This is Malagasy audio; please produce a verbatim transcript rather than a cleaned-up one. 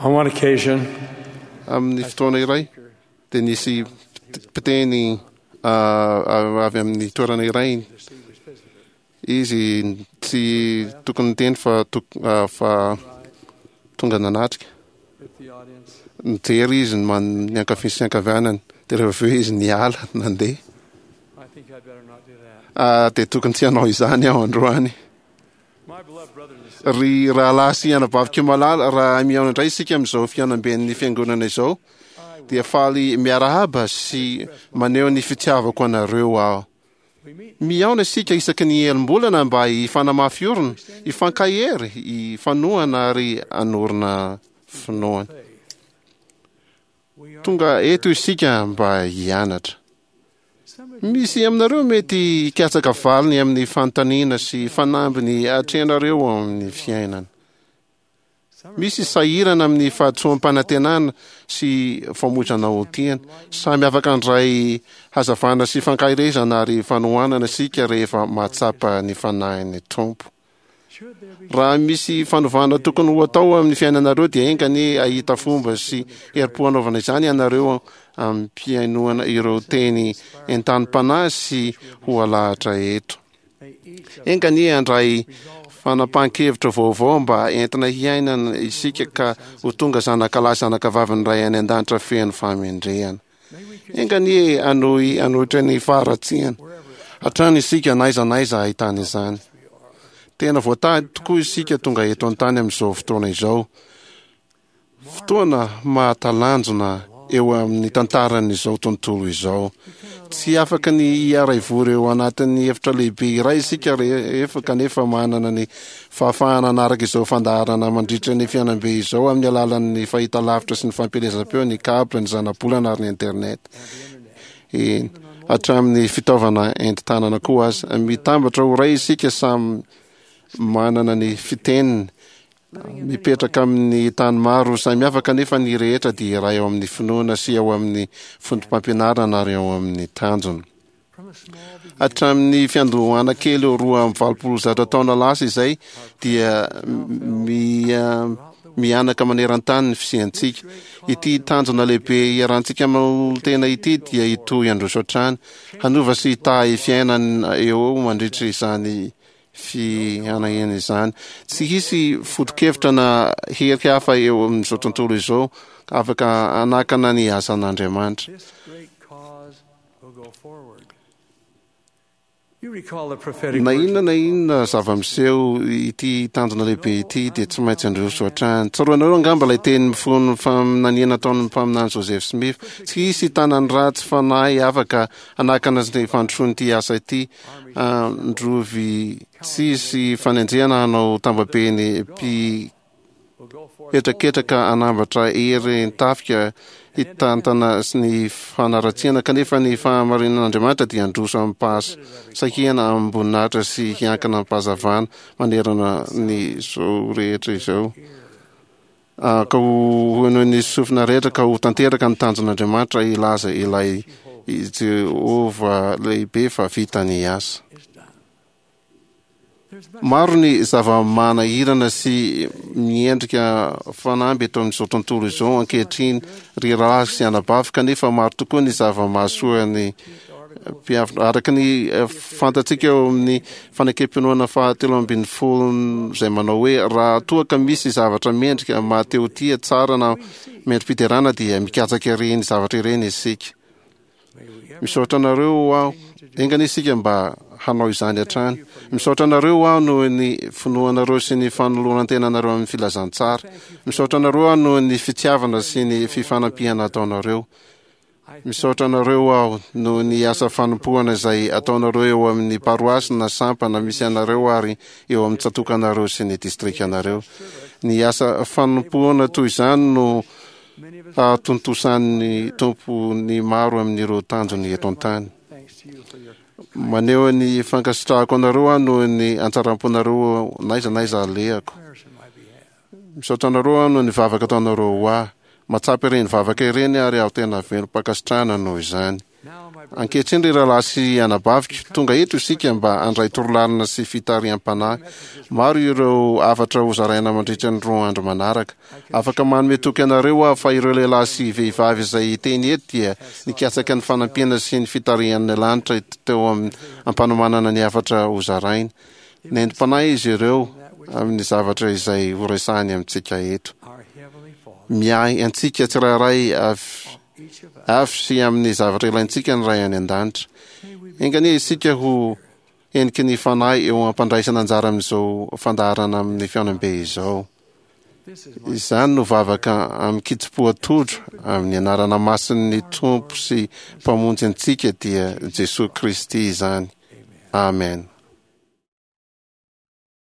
On one occasion, Amin'ny fotoana iray dia nisy mpiteny ah, avy amin'ny toerana iray izy, tsy tokony niteny fa tok- ah, fa tonga nanatrika. with the audience, Nijery izy ny man- ny ankavia sy ny ankavanany, dia rehefa avy eo izy niala nandeha. I think I'd better not do that. Ah, dia tokony tsy hanao izany aho androany. My beloved brothers and sisters, Ry rahalahy sy anabaviko malala, raha mihaona indray isika amin'izao fihaonamben'ny fiangonana izao, dia faly miarahaba sy maneho ny fitiavako anareo aho. we meet Mihaona isika isaky ny elim-bolana mba hifanamafy orina, hifankahery, hifanohana ary hanorina finoana. faith. We are Tonga eto isika mba hianatra. some of Misy aminareo mety hikatsaka valiny amin'ny fanontaniana sy fanambiny atrehanareo ao amin'ny fiainana. some Misy sahirana amin'ny fahatsoam-panantenana sy famoizana ho tiana. Samy afaka handray hazavana sy fankaherezana ary fanohanana isika rehefa mahatsapa ny fanahin'ny Tompo. should there be Raha misy fanovana tokony ho atao amin'ny fiainanareo, dia enga anie hahita fomba sy herim-po hanaovana izany ianareo am-pihainoana ireo teny entanim-panahy sy ho alahatra eto. may each of Enga anie handray fanapahan-kevitra vaovao mba entina hiainana isika ka ho tonga zanakalahy zanakavavin'ny Ray any an-danitra feno fahamendrehana. may we Enga anie hanohy hanohitra ny faharatsiana hatrany isika na aiza na aiza ahitana izany. Tena voatahy tokoa isika tonga eto an-tany amin'izao fotoana izao. Fotoana mahatalanjona eo amin'ny tantaran'izao tontolo izao. Tsy afaka ny hiara-hivory eo anatin'ny efitra lehibe iray isika rehefa kanefa manana ny fahafahana hanaraka izao fandaharana mandritra ny fihaonambe izao amin'ny alalan'ny fahitalavitra sy ny fampielezam-peo, ny câble, ny zanabolana ary ny internet. Eny, hatramin'ny fitaovana entin-tanana koa aza. Mitambatra ho iray isika, samy manana ny fiteniny, mipetraka amin'ny tany maro samihafa, kanefa ny rehetra dia iray ao amin'ny finoana sy ao amin'ny foto-pampianarana ary ao amin'ny tanjona. from a small beginning Hatramin'ny fiandohana kely roa amby valopolo zato taona lasa izay dia mia mihanaka maneran-tany ny fisiantsika. Ity tanjona lehibe iarahantsika manolo-tena ity dia hitohy handroso hatrany, hanova sy hitahy fiainana eo mandritra izany fihanahana izany. Tsy hisy foto-kevitra na hery hafa eo amin'izao tontolo izao afaka hanakana ny asan'Andriamanitra. this great cause will go forward. You recall the prophetic Na words inona of na inona zava-miseho, ity tanjona lehibe ity dia tsy maintsy handroso hatrany. Tsaroanareo angamba ilay teny mifono faminaniana ataon'ny mpaminany Joseph Smith: "Tsy hisy tanan'ny ratsy fanahy afaka hanakana ny fandrosoan'ity asa ity. Androvy tsy hisy fanenjehana hanao tambabe ny will go forth mpihetraketraka hanambatra hery tafika hitantana sy ny fanaratsiana, kanefa ny fahamarinan'Andriamanitra dia handroso amim-pahasahiana, amim-boninahitra sy hiankina am-pahazavana manerana ny zao rehetra izao. Ah, ka ho henoin'ny sofina rehetra, ka ho tanteraka ny tanjon'Andriamanitra, hilaza ilay Jehovah lehibe fa vita ny asa." is done. There's much Maro ny zava-manahirana sy miendrika fanamby eto amin'izao tontolo izao ankehitriny, ry rahalahy sy anabavy, kanefa maro tokoa ny zava-mahasoa ny mpiavina. Araka ny eh, fantatsika eo amin'ny fanekem-pinoana fahatelo ambin'ny folo izay manao hoe: "Raha toa ka misy zavatra mendrika, mahatehotia, tsara na mendri-piderana, dia mikatsaka ireny zavatra ireny isika." may we ever Misaotra anareo aho. Enga anie isika mba hanao izany hatrany. Misaotra anareo aho noho ny finoanareo sy ny fanoloran-tenanareo amin'ny filazantsara. Misaotra anareo aho noho ny fitiavana sy ny fifanampiana ataonareo. Misaotra anareo aho noho ny asa fanompoana izay ataonareo eo amin'ny paroasy na sampana misy anareo ary eo amin'ny tsatòkanareo sy ny distrikanareo. Ny asa fanompoana toy izany no many of us hahatontosan'ny Tompo ny maro amin'ireo tanjony eto an-tany. thanks to you for your Maneho ny fankasitrahako anareo aho noho ny hatsaram-ponareo n'aiza n'aiza alehako. prayers in my behalf. Misaotra anareo aho noho ny vavaka ataonareo ho ahy. Mahatsapa ireny vavaka ireny ary aho tena velom-pankasitrahana noho izany. Now, my Ankehitriny, ry rahalahy sy anabaviko, tonga eto isika mba handray torolalana sy fitariham-panahy. Maro ireo hafatra hozaraina mandritra ny roa andro manaraka. Afaka manome toky anareo aho fa ireo lehilahy sy vehivavy izay hiteny eto dia nikatsaka ny fanampiana sy ny fitarihan'ny lanitra teo amin'ny ampanomanana ny hafatra hozaraina. Nentim-panahy izy ireo amin'ny zavatra izay horesahany amintsika eto. Our Heavenly Father, Miahy antsika tsirairay avy each of us, avy sy amin'ny zavatra ilaintsika ny Ray any an-danitra. may we be Enga anie isika ho heniky ny fanahy eo ampandraisana anjara amin'izao fandaharana amin'ny fihaonambe izao. This is my Izany no vavaka amin-kitsim-po atodro amin'ny anarana masin'ny Tompo sy Mpamonjy antsika dia Jesoa Kristy izany. Amen. Amen.